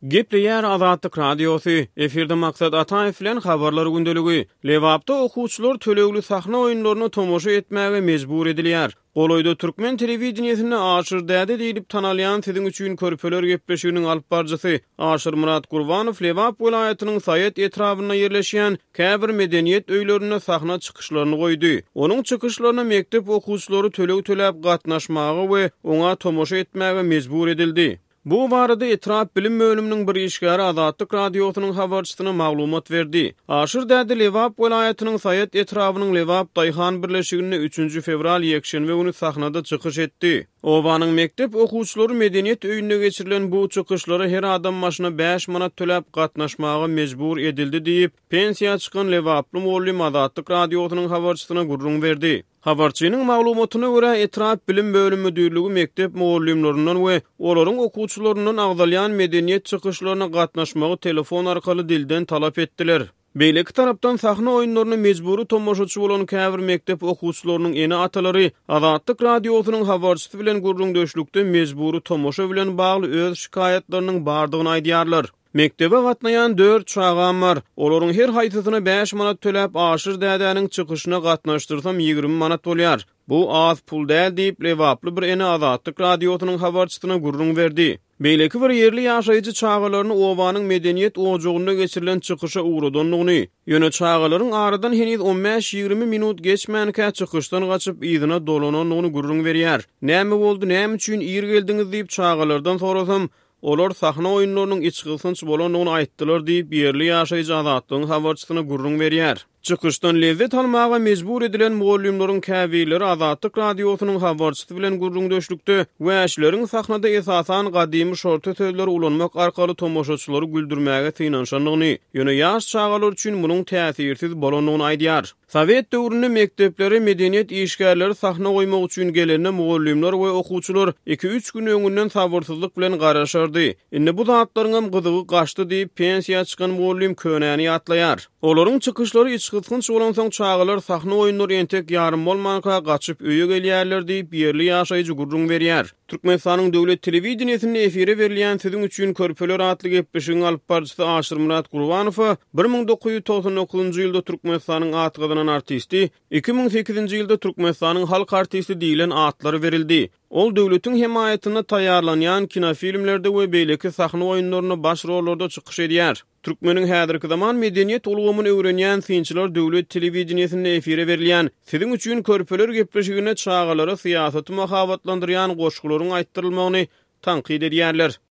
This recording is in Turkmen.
Gepleýär Azatlyk Radiosy, efirde Maksat Ataýew bilen Habarlar gündeligi. Lebapda okuwçylar tölegli sahna oýunlaryna tomaşa etmäge mejbur edilýär. Golaýda türkmen telewideniýesinde Aşyr däde diýlip tanalýan Siziň üçin körpeler gepleşiginiň alyp baryjysy Aşyrmyrat Gurbanow Lebap welaýatynyň Saýat etrabynda ýerleşýän käbir medeniýet öýlerinde sahna çykyşlaryny goýdy. Onuň çykyşlaryna mekdep okuwçylary töleg töläp gatnaşmaga we oňa tomaşa etmäge mejbur edildi. Bu barada etrap bilim bölüminiň bir işgäri Azatlyk Radiosynyň habarçysyna maglumat berdi. Aşyr däde Lebap welaýatynyň Saýat etrabynyň Lebap daýhan birleşiginde üçünji fewral ýekşenbe güni sahnada çykyş etdi. Obanyň mekdep okuwçylary medeniýet öýünde geçirilen bu çykyşlara her adam başyna bäş manat töläp gatnaşmaga mejbur edildi diýip, pensiýa çykan lebaply mugallym Azatlyk Radiosynyň habarçysyna gürrüň berdi. Habarçynyň maglumatyna görä, etrap bilim bölüm müdirligi mekdep mugallymlaryndan we olaryň okuwçylaryndan agzalýan medeniýet çykyşlaryna gatnaşmagy telefon arkaly dilden talap etdiler. Beýleki tarapdan, sahna oýunlaryna mejbury tomaşaçy bolan käbir mekdep okuwçylarynyň ene-atalary Azatlyk Radiosynyň habarçysy bilen gürrüňdeşlikde mejbury tomaşa bilen bagly öz şikaýatlarynyň bardygyny aýdýarlar. Mekdebe gatnaýan dört çagam bar. Olaryň her haýsysyna bäş manat töläp, Aşyr dädäniň çykyşyna gatnaşdyrsam 20 manat bolýar. Bu az pul däl diýip, lebaply bir ene Azatlyk Radiosynyň habarçysyna gürrüň berdi. Beýleki bir ýerli ýaşaýjy çagalaryny obanyň medeniýet ojagynda geçirilen çykyşa ugradandygyny, ýöne çagalaryň aradan heniz on bäş-ýigrimi minut geçmänkä çykyşdan gaçyp yzyna dolanandygyny gürrüň berýär. Näme boldy, näme üçin ir geldiňiz diýip çagalardan sorasam, Olar sahna oýunlarynyň içgysgynç bolandygyny aýtdylar diýip, ýerli ýaşaýjy Azatlygyň habarçysyna gürrüň berýär. Çykyşdan lezzet almaga mejbur edilen mugallymlaryň käbirleri Azatlyk Radiosynyň habarçysy bilen gürrüňdeşlikde wäşileriň sahnada esasan gadymy şorta sözleri ulanmak arkaly tomaşaçylary güldürmäge synanyşandygyny, ýöne ýaş çagalar üçin munuň täsirsiz bolandygyny aýdýar. Sowet döwründe mekdeplere medeniýet işgärleri sahna goýmak üçin gelende mugallymlar we okuwçylar iki-üç gün öňünden sabyrsyzlyk bilen garaşardy. Indi bu zatlaryňam gyzygy gaçdy diýip, pensiýa çykan mugallym könäni ýatlaýar. Olaryň çykyşlary içgysgynç bolansoň çagalar sahna oýunlary entek ýarym bolmanka gaçyp öýe gelýärler diýip, ýerli ýaşaýjy gürrüň berýär. Türkmenistanyň döwlet telewideniýesinde efire berilýän Siziň üçin körpeler atly gepleşigiň alypbaryjysy Aşyrmyrat Gurbanowa 1999-njy ýylda Türkmenistanyň at gazanan artisti, 2008-nji ýylda Türkmenistanyň halk artisti diýlen atlar berildi. Ol döwletiň hemaýatynda taýýarlanýan kinofilmlerde we beýleki sahna oýunlarynda baş rollarda çykyş edýär. Türkmeniň häzirki zaman medeniýet ulgamyny öwrenýän synçylar döwlet telewideniýesinde efire berilýän Siziň üçin körpeler gepleşiginde çagalara syýasaty mahabatlandyrýan goşgularyň aýtdyrylmagyny tankyt edýärler.